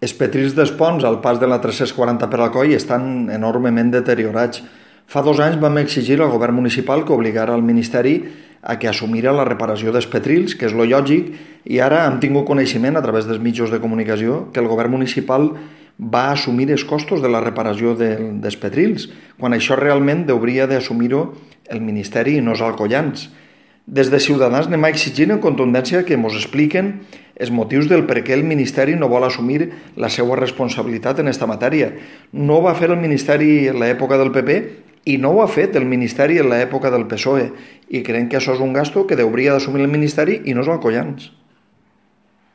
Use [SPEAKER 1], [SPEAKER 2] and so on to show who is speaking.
[SPEAKER 1] Els petrils dels ponts al pas de la 340 per Alcoi estan enormement deteriorats. Fa 2 anys vam exigir al govern municipal que obligara al Ministeri a que assumira la reparació dels petrils, que és lo lògic, i ara hem tingut coneixement a través dels mitjans de comunicació que el govern municipal va assumir els costos de la reparació dels petrils, quan això realment hauria d'assumir-ho el Ministeri i no els alcoians. Des de Ciutadans anem a exigir en contundència que ens expliquen els motius del per què el Ministeri no vol assumir la seva responsabilitat en aquesta matèria. No ho va fer el Ministeri en l'època del PP i no ho ha fet el Ministeri en l'època del PSOE, i creiem que això és un gasto que hauria d'assumir el Ministeri i no els alcoians.